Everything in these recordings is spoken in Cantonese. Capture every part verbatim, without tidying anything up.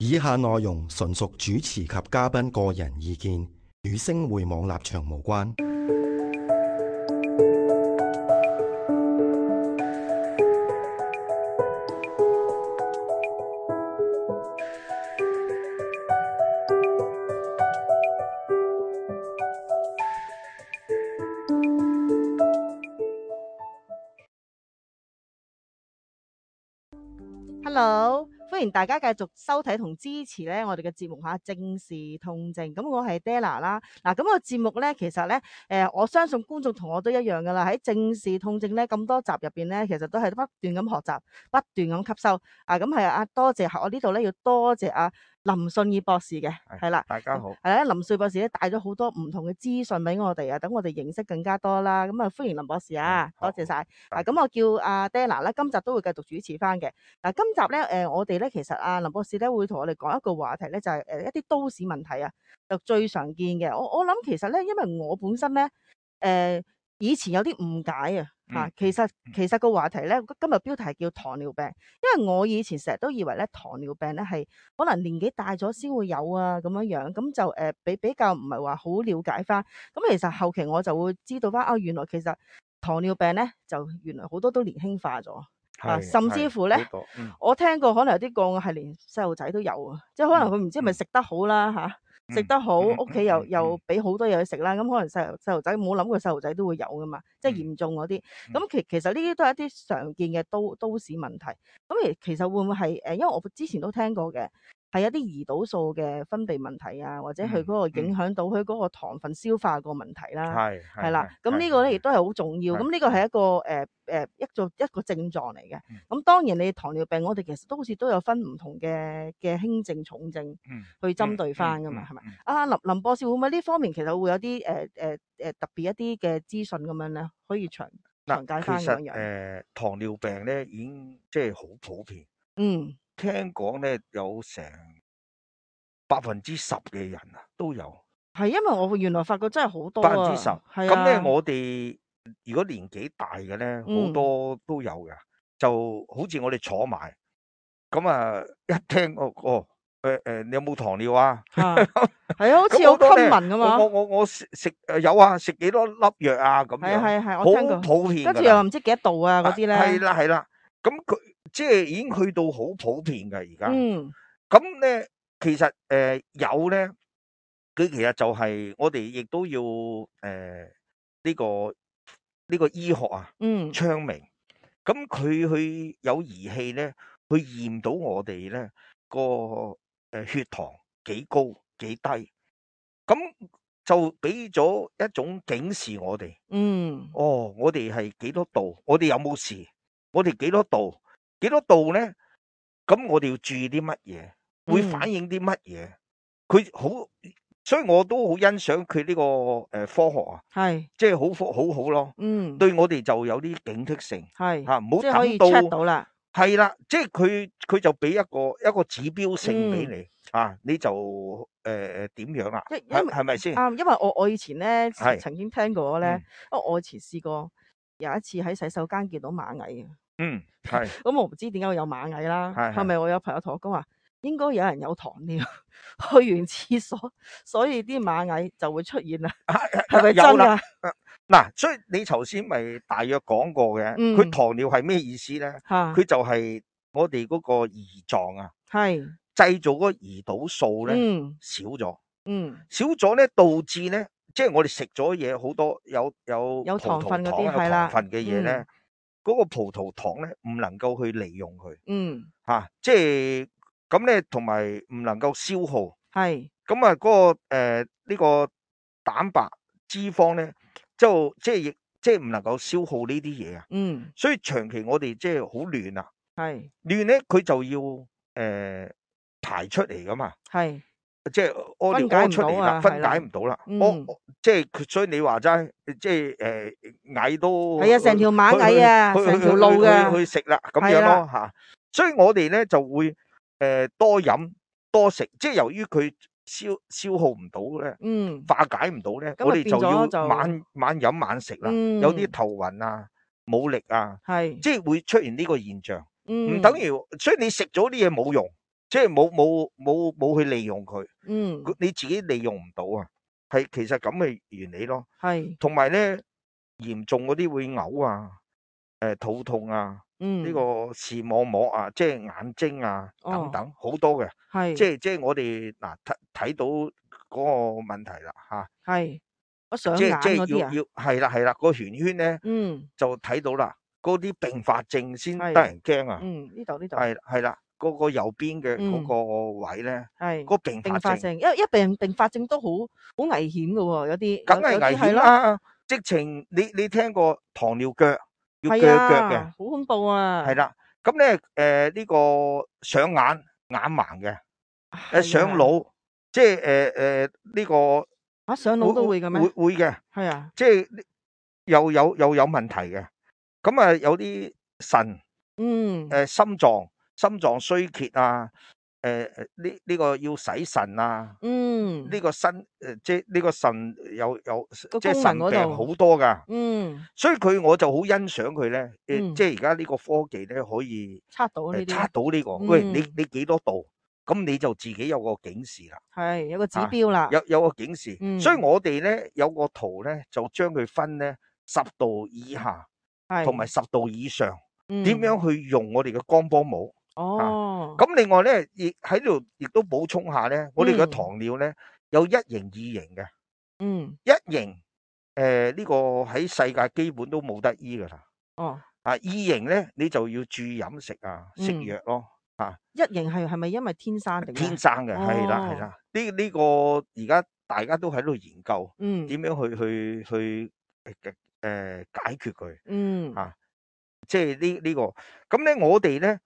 以下內容純屬主持及嘉賓個人意見，與星匯網立場無關。Hello，歡迎大家繼續收睇同支持咧我哋嘅節目吓，正視痛症。咁我係 Della 啦。嗱，咁個節目咧，其實咧，誒、呃，我相信觀眾同我都一樣噶啦。喺正視痛症咧咁多集入邊咧，其實都係不斷咁學習，不斷咁吸收。啊，咁係啊，多謝我呢度咧要多謝阿林信義博士嘅，係啦，大家好，係啦，林信義博士咧帶咗好多唔同嘅資訊俾我哋啊，等我哋認識更加多啦。咁啊，歡迎林博士啊，多謝晒。啊，咁我叫阿 Della 咧，今集都會繼續主持翻嘅。嗱，今集咧，誒、呃，我哋咧其實阿林博士咧會同我哋講一個話題咧，就係、是、誒一啲都市問題啊，就最常見嘅。我我諗其實咧，因為我本身咧，誒、呃、以前有啲誤解啊，吓、嗯，其實其實個話題咧，今日標題係叫糖尿病，因為我以前成日都以為咧糖尿病咧係可能年紀大咗先會有啊咁樣樣，咁就誒比、呃、比較唔係話好了解翻。咁其實後期我就會知道翻，啊原來其實糖尿病咧就原來好多都年輕化咗。啊，甚至乎咧、嗯，我聽過可能有啲個案係連細路仔都有啊，即係可能佢唔知係咪食得好啦吓，食、嗯啊、得好，屋、嗯、企又、嗯、又俾好多嘢佢食啦，咁、嗯、可能細細路仔冇諗過細路仔都會有噶嘛，即係嚴重嗰啲。咁、嗯、其其實呢啲都係一啲常見嘅都都市問題。咁其其實會唔會係誒？因為我之前都聽過嘅。係一啲胰島素嘅分泌問題啊，或者佢嗰個影響到佢嗰個糖分消化個問題啦，係係啦。咁呢個咧亦都係好重要。咁呢個係一個誒誒、呃、一個一個症狀嚟嘅。咁當然你糖尿病，我哋其實都好似都有分唔同嘅嘅輕症、重症去針對翻噶嘛，係咪？啊林林博士會唔會呢方面其實會有啲誒誒誒特別一啲嘅資訊咁樣咧，可以詳詳解翻咁樣？誒、呃、糖尿病咧已經即係好普遍。嗯。聽講咧有成百分之十嘅人啊都有，係因為我原來發覺真係好多啊，百分之十。咁咧我哋如果年紀大嘅咧，好、嗯、多都有嘅，就好似我哋坐埋，咁啊一聽哦哦，誒、呃、誒，你有冇糖尿啊？係啊，好似好 common 噶嘛。我我我食食誒有啊，食幾多粒藥啊咁樣，係係係，我聽過。好普遍。跟住又唔知幾多度啊嗰啲咧。係啦係啦，咁佢即係已經去到好普遍嘅而家。嗯。咁咧，其實誒、呃、有咧，佢其實就係我哋亦都要誒呢、呃這個呢、這個醫學啊，嗯，昌明。咁佢去有儀器咧，去驗到我哋咧個誒血糖幾高幾低，咁就俾咗一種警示我哋。嗯，哦，我哋係幾多度？我哋有冇事？我哋幾多度？幾多度咧？咁我哋要注意啲乜嘢？會反映啲乜嘢？佢、嗯、好，所以我都好欣賞佢呢個誒科學啊，係即係好科好好咯。嗯，對我哋就有啲警惕性，係吓唔好等到 check 到啦。係啦，即係佢佢就俾一個一個指標性俾你、嗯、啊，你就誒誒點樣啊？係係咪先？啱，因為我我以前咧曾經聽過咧，因為我以前試過有一次喺洗手間見到螞蟻啊。嗯，係。咁我唔知點解會有螞蟻啦，係咪我有朋友同我講話，應該有人有糖尿，去完廁所，所以啲螞蟻就會出現啦，係咪真噶？嗱，所以你頭先咪大約講過嘅，佢、嗯、糖尿係咩意思咧？佢就係我哋嗰個胰臟啊，係製造嗰個胰島素咧、嗯、少咗，嗯，少咗咧導致咧，即係我哋食咗嘢好多有有有糖分嗰啲，有係啦，糖分嘅嘢咧。嗰、那個葡萄糖咧唔能夠去利用佢，嗯，吓、啊，即係咁咧，同埋唔能夠消耗，係，咁啊嗰個誒呢、呃這個蛋白脂肪咧，就即係亦即係唔能夠消耗呢啲嘢啊，嗯，所以長期我哋即係好亂啊，係，亂咧佢就要誒、呃、排出嚟噶嘛，係。即係屙尿屙出嚟啦，分解唔到啦。我即係所以你話齋，即係誒蟻都係啊，成條螞蟻啊，成條路嘅去食啦，咁樣咯吓。所以我哋咧就會誒、呃、多飲多食，即係由於佢消消耗唔到咧，嗯，化解唔到咧，我哋就要晚晚飲晚食啦。嗯、有啲頭暈啊、冇力啊，係即係會出現呢個現象。唔、嗯、等於，所以你食咗啲嘢冇用。即係冇冇冇冇去利用佢，嗯，佢你自己利用唔到啊，係其實咁嘅原理咯。係，同埋咧嚴重嗰啲會嘔啊，誒肚痛啊，呢嗯，個視網膜啊，即係眼睛啊等哦，等好多嘅，即係，係即係我哋嗱睇睇到嗰個問題啦嚇，係，我上眼即係即係嗰啲啊，要要係啦係啦，個圓圈咧嗯，就睇到啦，嗰啲併發症先得係，人驚啊，嗯，呢度呢度，係係啦，嗰個右邊嘅嗰嗯，個位咧，係，嗰個併發症併發症，一一病併發症都好好危險㗎喎，有啲有有梗係危啲係咯，險啦，直情你你聽過糖尿腳要係鋸腳嘅。啊，好恐怖啊，係啦，咁咧誒呢個上眼眼盲嘅，誒係啊，上腦，即係誒誒呢個嚇上腦都會嘅會會會咩？會嘅，係啊，即係又有又有問題嘅。咁啊有啲腎嗯，誒心臟心臟衰竭啊，誒誒呢呢個要洗腎啊，嗯，呢個腎誒即係呢個腎有有即係個功能腎病嗰度，好多㗎，嗯，所以佢我就好欣賞佢咧，誒嗯，即係而家呢個科技咧可以。測到呢誒測啲，到呢個，喂，你嗯，你幾多度？咁你就自己有個警示啦，係，有個指啊，標啦，有有個警示。所以嗯，我哋咧有個圖咧，就將佢分咧十度以下同埋係，十度以上，點嗯，樣去用我哋嘅光波帽啊？哦，咁另外咧，亦喺度亦都補充下咧，我哋嘅嗯，糖尿咧有一型、二型嘅，嗯，一型誒呢個喺世界基本都冇得醫噶啦，哦，啊，二型咧你就要注意飲食啊，食嗯，藥咯，啊。一型係係咪因為天生定咩？天生嘅，係啦係哦，啦，呢呢個而家大家都喺度研究嗯，點樣去去去誒誒解決佢嗯，嚇，即係呢呢個咁咧，我哋咧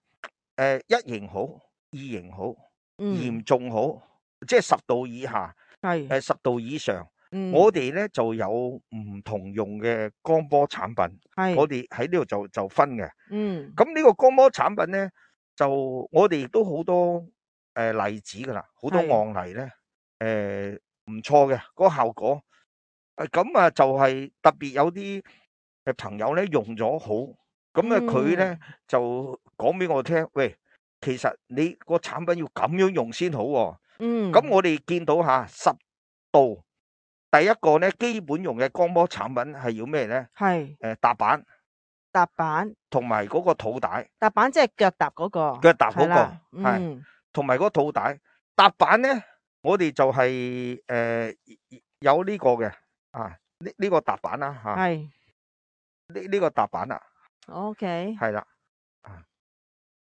誒一型好，二型好，嚴嗯，重好，即係十度以下，係，誒十度以上，嗯，我哋咧就有唔同用嘅光波產品，係，我哋喺呢度就就分嘅。嗯，咁呢個光波產品咧，就我哋亦都好多誒、呃、例子㗎啦，好多係，案例咧，誒唔錯嘅嗰個效果。誒咁啊，就係特別有啲誒朋友咧用咗好，咁啊佢咧嗯，就講俾我聽，喂，其實你個產品要咁樣用先好喎、嗯，咁我哋見到嚇十度，第一個咧基本用嘅光波產品係要咩咧？係，誒踏板踏板，同埋嗰個肚帶。踏板即係腳踏嗰個，腳踏嗰、個係啦，係，嗯，同埋嗰個肚帶踏板咧，我哋就係、誒、有呢個嘅啊，呢、呢個踏板啦嚇，係呢呢個踏板啦， ，OK，係啦，啊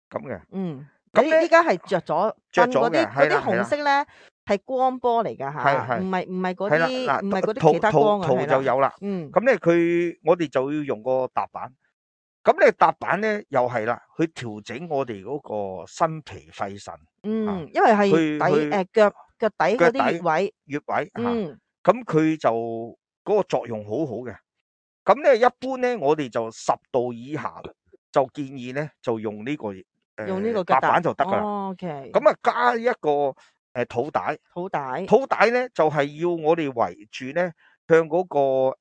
咁嘅，嗯，咁咧你依家係着咗着燈嗰啲咗嘅，嗰啲紅係啦係啦，色咧係光波嚟㗎係吓，係唔係唔係嗰係啦啲唔係嗰嗱，圖啲其他圖光啊，圖係啦，就有啦，嗯，咁咧佢我哋就要用個踏板，咁咧踏板咧又係啦，去調整我哋嗰個心脾肺腎啊，嗯，因為係底去去誒腳腳底嗰腳啲穴底位，穴位嚇。嗯，咁佢就嗰、個作用好好嘅。咁咧一般咧，我哋就十度以下就建議咧就用呢、個誒、用呢個腳踏踏，板就得噶啦。哦，OK，咁啊加一個誒肚帶，肚帶，肚帶咧就係、要我哋圍住咧向嗰、個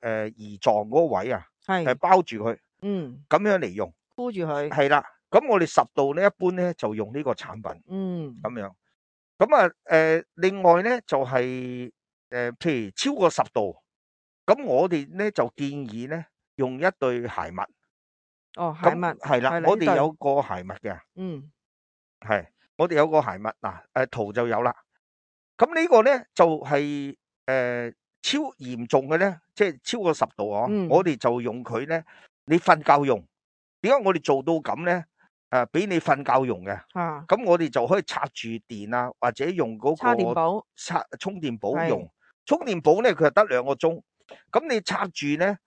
誒胰臟嗰個位啊，誒係，包住佢，嗯，咁樣嚟用。箍住佢，係啦，咁我哋十度咧一般咧就用呢個產品嗯，咁樣。咁啊誒另外咧就係、誒、譬如超過十度。咁我哋咧就建議咧用一對鞋襪，哦，鞋咁襪，係啦，係啦，我哋呢對，有個鞋襪嘅，嗯，係我哋有個鞋襪嗱，誒圖就有啦。咁呢個咧就係、誒、超嚴重嘅咧，即係超過十度啊，嗯，我哋就用佢咧，你瞓覺用。點解我哋做到咁咧？誒，俾你瞓覺用嘅，嚇，咁我哋就可以插住電啊，或者用嗰叉電個寶，插充電寶係，用。充電寶咧佢係得兩個鐘。咁你插住咧，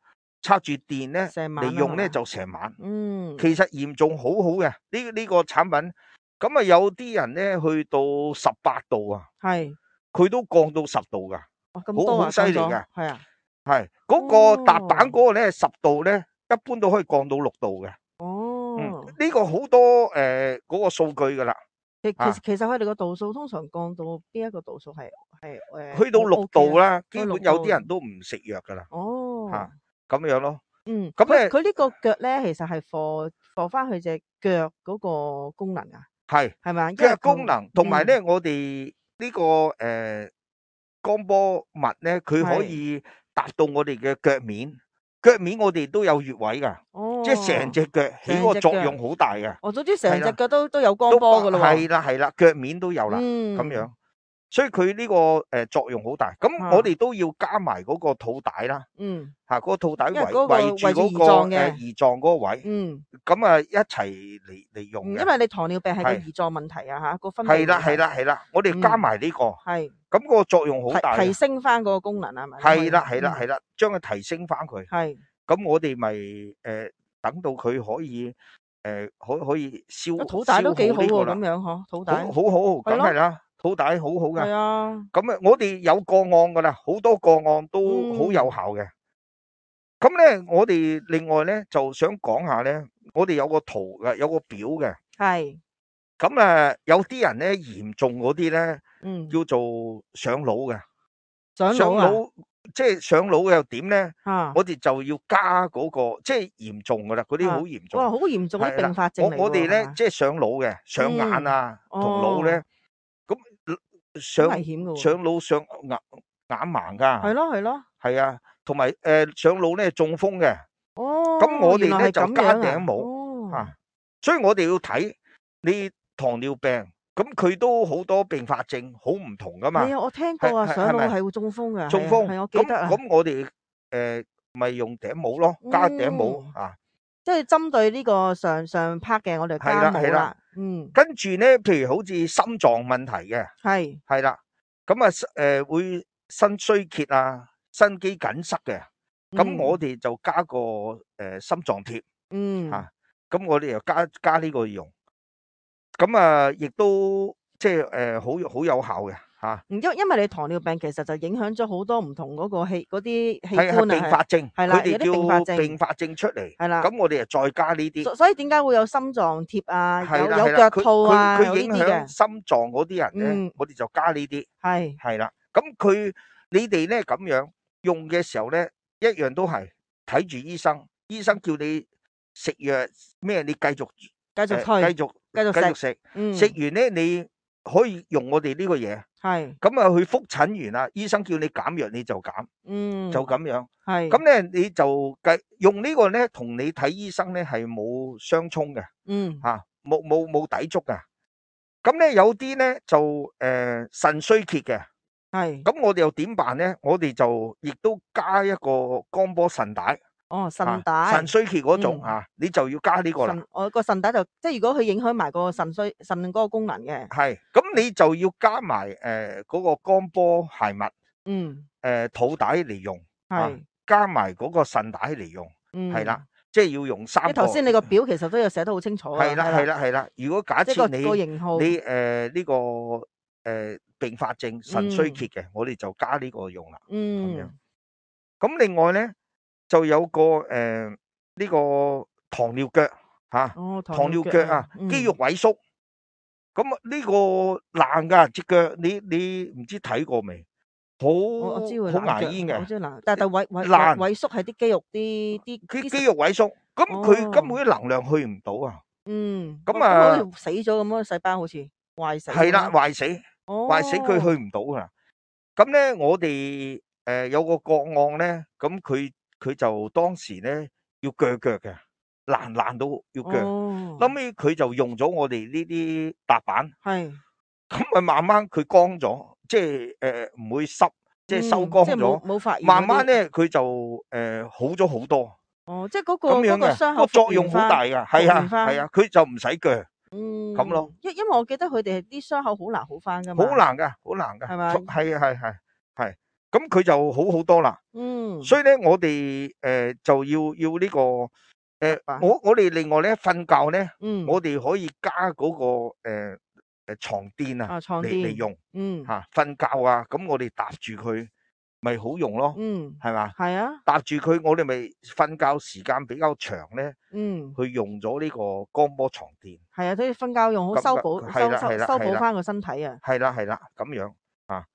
插住電咧成晚啊嚟用咧嘛，就成晚。嗯，其實嚴重好好嘅呢呢個產品。咁啊有啲人咧去到十八度啊，係，佢都降到十度噶，哇，咁好好多啊，降咗，犀利嘅。係啊，係嗰個踏板哦，嗰個咧十度咧，一般都可以降到六度嘅。嗯，哦。呢個好多誒嗰個數據噶啦，其其啊，其實佢哋個度數通常降到邊一個度數係係誒去到 O 六 O K 度啦，啦，基去六本有啲度，人都唔食藥噶啦，哦，嚇咁樣咯。嗯，咁咧佢佢呢個腳咧，其實係 for for 翻佢隻腳嗰個功能啊，係係咪啊？因嘅為佢功能，同埋嗯咧，我哋呢個誒光波襪咧，佢可係以達到我哋嘅腳面，腳面我哋都有穴位㗎，即係成哦，隻腳起成隻腳，個作用好大嘅，我總之係啦，成隻腳都都有光都波噶咯喎。係啦係啦，腳面都有啦，咁樣。嗯，所以佢呢個誒作用好大，咁嚇我哋都要加埋嗰個肚帶啦，嗯，嚇嗰個肚帶圍因為嗰個圍住圍住胰嗰個誒臟嘅，胰臟嗰個位，嗯咁啊一齊嚟嚟用嗯，因嘅，為你糖尿病係個係胰臟問題啊嚇，個分泌係啦係問題，啦係啦，我哋加嗯埋呢個，係咁個作用好大提提嘅，升翻嗰個功能係咪？係啦係啦嗯係啦，將佢提升翻佢，係，咁我哋咪誒等到佢可以誒可可以消個肚帶消都幾好喎，好呢個啦，咁樣嗬，肚好帶好好，係咯，梗係啦，肚帶好好係嘅。啊，咁啊，我哋有個案噶啦，好多個案都好有嗯效嘅。咁咧，我哋另外咧就想講下咧，我哋有個圖嘅，有個表嘅。係，咁啊，有啲人咧嚴重嗰啲咧，嗯，叫做上腦嘅。上腦啊，上腦即係上腦又點咧？嚇我哋就要加嗰個，即係嚴重噶啦，嗰啲好嚇，嚴重。哇，好嚴重嗰啲係啦，併發症我我哋嚟喎，係嘛？咧即係上腦嘅，上眼嗯，啊同腦咧，哦，咁好上危險噶喎，上腦上眼眼盲㗎。係咯係咯，係啊，同埋誒上腦咧中風嘅，咁哦，我哋原來係咁咧就加樣啊，頂帽哦，嚇，所以我哋要睇你糖尿病，咁佢都好多併發症，好唔同噶嘛，係啊，我聽係過啊，上係係咪腦係會中風噶，中風？係啊係，我記咁得啊，咁我哋誒咪用頂帽咯，加頂帽嗯，啊，即係針對呢個上上 part 嘅，我哋係加帽啦係啦，啦，嗯，跟住咧，譬如好似心臟問題嘅，係，係啦，咁啊誒會腎衰竭啊，心肌梗塞嘅。咁我嗯哋就加個誒、呃、心臟貼嗯。嚇，咁、我哋又加加呢個用，咁啊亦都即係誒好好有效嘅嚇，嗯，因因為你糖尿病其實就影響咗好多唔同嗰個器嗰啲器係係官啊，併發症，係啦，佢哋有啲併發叫症，併發症出嚟，係啦，咁我哋又再加呢啲，所所以點解會有心臟貼啊，有係啦係啦，有腳佢套啊，有佢佢影響呢啲嘅，心臟嗰啲人咧，嗯，我哋就加呢啲，係，係啦，咁佢你哋咧咁樣用嘅時候咧，一樣都係睇住醫生，醫生叫你食藥咩，你繼續。繼續誒推，繼續繼續繼續食，食，嗯，食完咧你可以用我哋呢個嘢，係，咁啊去覆診完啦，醫生叫你減藥你就減，嗯，就咁樣。係，咁咧你就計用呢個咧，同你睇醫生咧係冇相衝嘅，嗯，嚇冇冇冇抵觸嘅。咁咧有啲咧就誒腎衰竭嘅，係，咁我哋又點辦咧？我哋就亦都加一個光波腎帶，哦，嚇腎帶，腎衰竭嗰種嗯嚇，你就要加呢個啦。腎，我個腎帶就即係如果佢影響埋個腎衰腎嗰個功能嘅，係，咁你就要加埋誒嗰個光波鞋襪，嗯，誒肚帶嚟用，啊係，加埋嗰個腎帶嚟用，嗯，係啦，即係要用即三個。係頭先你個表其實都有寫得好清楚啊，係啦係啦係啦，如果假即係個設你個型號，你誒呢個誒併發症腎衰竭嘅，我哋就加呢個用啦，咁樣。嗯，咁另外咧就有個誒呢個糖尿腳嚇，哦，糖尿腳啊，嗯肌肉萎縮。咁啊呢個爛噶隻腳，你你唔知睇過未？好我我知會好冷腳，牙煙嘅，我知冷，但係但萎萎爛萎縮係啲肌肉啲啲啲佢肌肉萎縮，咁佢哦根本啲能量去唔到啊！嗯，咁哦啊好似死咗咁咯，細胞好似壞死咁係啦，咯，壞死哦，壞死，佢去唔到噶啦。咁咧，我哋誒有個個案咧，咁佢佢就當時咧要鋸腳嘅，爛爛到要鋸。哦，後尾佢就用咗我哋呢啲踏板，係咁咪慢慢佢乾咗，即係誒唔會濕，即係收嗯乾即係冇咗。冇發炎嗰啲慢慢咧，佢就誒好咗好多。哦，即係嗰個咁樣嗰個傷嘅，口個作用好大復原噶，係啊復原返係啊，佢就唔使鋸，嗯咁咯，因因為我記得佢哋啲傷口好難好翻噶嘛，好難噶，好難噶，係咪係啊係係係，咁佢就好好多啦。嗯，所以咧，我哋誒就要要呢個誒明白，我我哋另外咧瞓覺咧，嗯，我哋可以加嗰個誒誒床墊啊啊床嚟嚟墊用嗯嚇瞓覺啊，咁我哋搭住佢咪好用咯，嗯係嘛？係啊，搭住佢，我哋咪瞓覺時間比較長咧。嗯佢用咗呢個光波床墊，係啊，所以瞓覺用好咁修補係啦修修係啦係啦修補翻個身體啊，係啦係啦咁樣啊，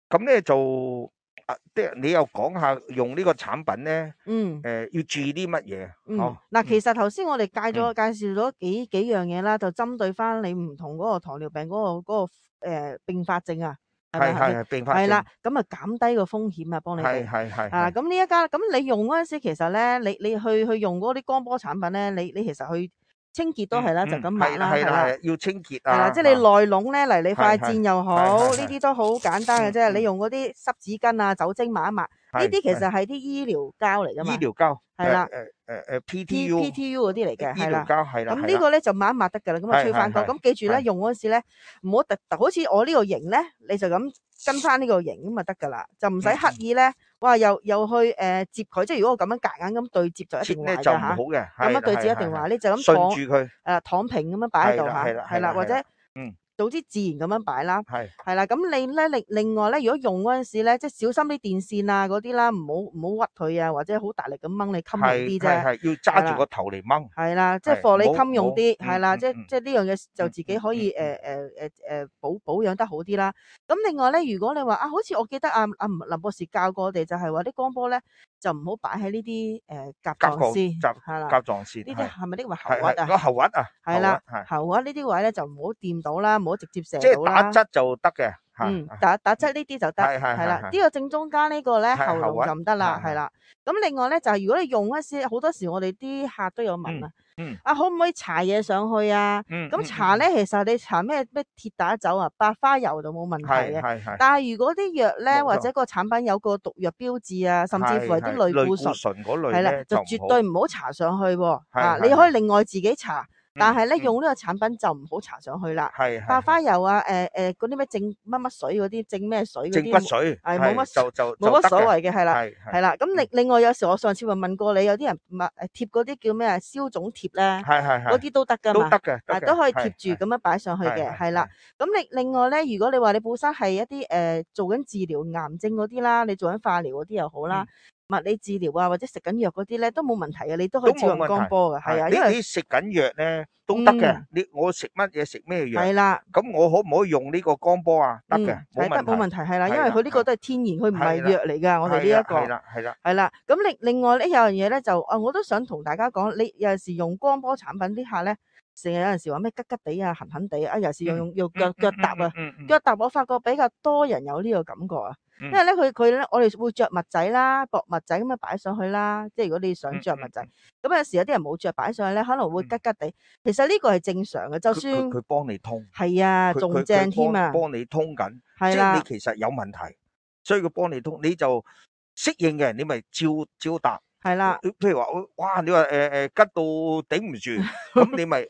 咁咧就啊，即係你又講下用呢個產品咧，嗯。誒要注意啲乜嘢？嗯，嗬，嗱，嗯其實頭先我哋介咗嗯介紹咗幾幾樣嘢啦，就針對翻你唔同嗰個糖尿病嗰、個嗰、個誒併發症啊，係咪係咪？係係係併發係啦症，，咁啊減低個風險啊，幫你係哋。係係啊，係咁呢一家，咁你用嗰陣時，其實咧，你你去去用嗰啲光波產品咧，你你其實去清潔都係啦，就咁抹啦，係啦係係啦。啦係啦，要清潔係啦，啊，即係你嚇內籠咧，嚟你塊係係墊又好，係係呢啲都好簡單嘅啫。嗯嗯你用嗰啲濕紙巾啊、酒精抹一抹，呢係啲其係實係啲醫療膠嚟噶嘛。醫療膠，係啦。誒誒誒誒 P PTU PTU 嗰啲嚟嘅，醫係啦。療膠係啦咁係啦，呢個咧就抹一抹得㗎啦，咁啊係吹翻乾。係係咁記住咧，係用嗰陣時咧，唔好特特，好似我呢個型咧，你就咁跟翻呢個型咁啊得㗎啦，就唔使嗯刻意咧，哇又又去誒摺佢，即係如果我咁樣夾硬咁對摺就一定壞㗎切咧就唔好嚇，嘅，咁樣對摺係係係一定壞，你就咁順躺住佢，誒躺平咁樣擺喺度嚇，係啦係啦係啦，或者係啦係啦，嗯早啲自然咁樣擺啦。係係啦，咁你咧另另外咧，如果用嗰陣時咧，即係小心啲電線啊嗰啲啦，唔好唔好屈佢啊，或者好大力咁掹你襟用啲啫。係係係要係啦。揸住個頭嚟掹，係啦，即係係貨你唔好襟用唔好啲，係啦，即係嗯嗯嗯即係呢樣嘢就嗯自己可以誒嗯誒誒誒保保養得好啲啦。咁另外咧，如果你話啊，好似我記得阿阿林博士教過我哋，就係話啲光波咧就唔好擺喺呢啲誒甲甲狀狀腺，甲係啦，甲狀腺呢啲係係咪呢個喉係係核啊？個喉核啊，係啦，喉核係喉核呢啲位咧就唔好掂到啦，唔好直接射即係到啦。打側就得嘅，嚇嗯，打打側呢啲就得，係係係啦。係係呢個正中間呢個咧喉嚨係喉核就唔得啦，係係係啦。咁另外咧就係如果你用嗰時，好多時我哋啲客都有問嗯啊。嗯啊，可唔可以搽嘢上去啊？咁嗯嗯搽咧，其實你搽咩咩鐵打酒啊、百花油就冇問題嘅。係係係但係如果啲藥咧，冇錯或者個產品有個毒藥標誌啊，甚至乎係啲類類固醇，醇嗰類係啦，咧就唔好就絕對唔好搽上去喎。啊，係係你可以另外自己搽，但係咧嗯用呢個產品就唔好搽上去啦。係係百花油啊，誒誒嗰啲咩正乜乜水嗰啲，正咩水嗰正骨啲，水係冇乜就就冇乜所謂嘅，係啦。係係啦，咁另另外有時我上次咪問過你，有啲人抹誒貼嗰啲叫咩啊消腫貼咧，係係係嗰啲都得噶嘛，都得嘅，啊得嘅都可以貼係住咁樣擺上去嘅，係係係啦。咁另另外咧，如果你話你本身係一啲誒、呃做緊治療癌症嗰啲啦，你做緊化療嗰啲又好啦，物理治療啊或者食緊藥嗰啲咧都冇問題嘅，你都可以照用都冇問題光波嘅，係啊，因為你你食緊藥咧都得嘅嗯，你我食乜嘢食咩藥，係啦。咁我可唔可以用呢個光波啊？得嘅，嗯，係得冇問題，係啦，因係啦為佢呢個都係天然，佢唔係係啦藥嚟㗎，我哋呢一個係啦係啦，係啦。咁另另外呢有樣嘢咧就啊，我都想同大家講，你有陣時用光波產品啲客咧，成日有陣時話咩吉吉地啊、痕痕地啊，有陣時用用用腳腳踏啊，嗯嗯腳踏我發覺比較多人有呢個感覺啊。嗯因為咧佢佢咧，我哋會着襪仔啦、薄襪仔咁樣擺上去啦。即係如果你想着襪仔，咁有時有啲人冇着擺上去咧，可能會吉吉地。其實呢個係正常嘅，就佢算佢佢幫你通，係啊，佢仲佢佢正添啊，幫幫你通緊，即係係啦你，其實有問題，所以佢幫你通，你就適應嘅，你咪照照答。係啦，譬如話，哇！你話誒誒吉到頂唔住，咁你咪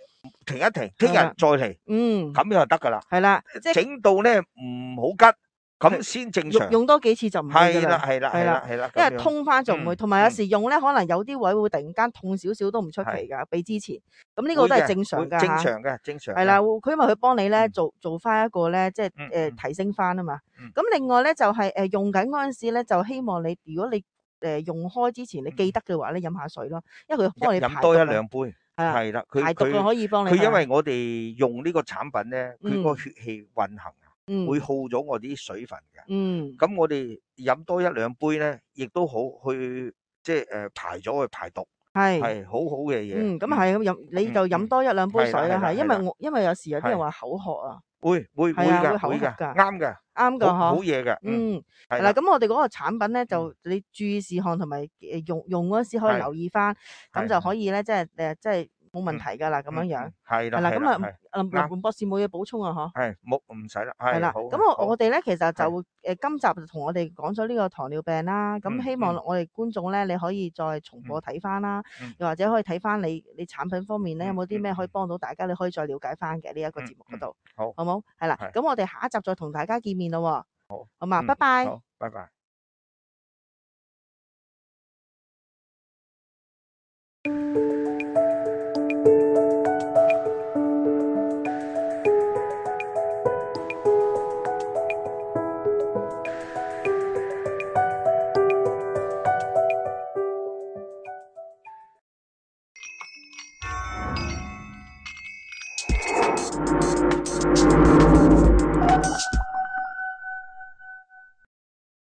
停一停，聽日係啦再嚟，嗯，咁樣就得噶啦。係啦，即係整到咧唔好吉，咁先正常用。用多幾次就唔會㗎係啦啦，係啦係係啦啦係啦，因為咁樣通翻就唔會，嗯同埋有嗯時用咧，可能有啲位會突然間痛少少都唔出奇係㗎，比之前。咁呢個都係會嘅正常㗎會正嚇。常嘅，正常嘅。係啦，佢因為佢幫你咧嗯做做翻一個咧，即係嗯誒嗯提升翻啊嘛嗯。咁另外咧就係誒用緊嗰陣時咧，就希望你如果你誒用開之前你記得嘅話咧，飲下水咯，因為佢幫你飲飲多一排毒啊兩杯，係啊，係啦，佢排毒啊佢可以幫你。佢因為我哋用呢個產品咧，佢個嗯血氣運行啊，嗯會耗咗我啲水分嘅。嗯咁我哋飲多一兩杯咧，亦都好去即係誒排咗去排毒，係。係好好嘅嘢。嗯，咁係咁飲，你就飲多一兩杯水啦，係啦係啦係，因係啦為我因為有時有啲人係話口渴啊，會會會係啊會㗎會㗎，口渴㗎啱㗎，啱噶好好嗬。嘢㗎。嗯，嗯，係啦，係啦，咁我哋嗰個產品咧就你注意事項同埋誒用用嗰時可以係留意翻，咁係就可以咧，即係誒即係冇問題噶啦，咁樣樣。嗯係啦係啦，咁啊係啦係，林林林博士冇嘢補充啊，嗬。係冇唔使啦，係啦，係好咁好我我哋咧其實就係誒今集就同我哋講咗呢個糖尿病啦，咁嗯希望嗯我哋觀眾咧你可以再重播睇翻啦嗯，又或者可以睇翻你你產品方面咧有嗯冇啲咩嗯可以幫到大家，你可以再了解翻嘅呢一個嗯節目嗰度，好好冇？係啦，係咁我哋下一集再同大家見面咯喎，好，好嘛，嗯拜拜。好，拜拜。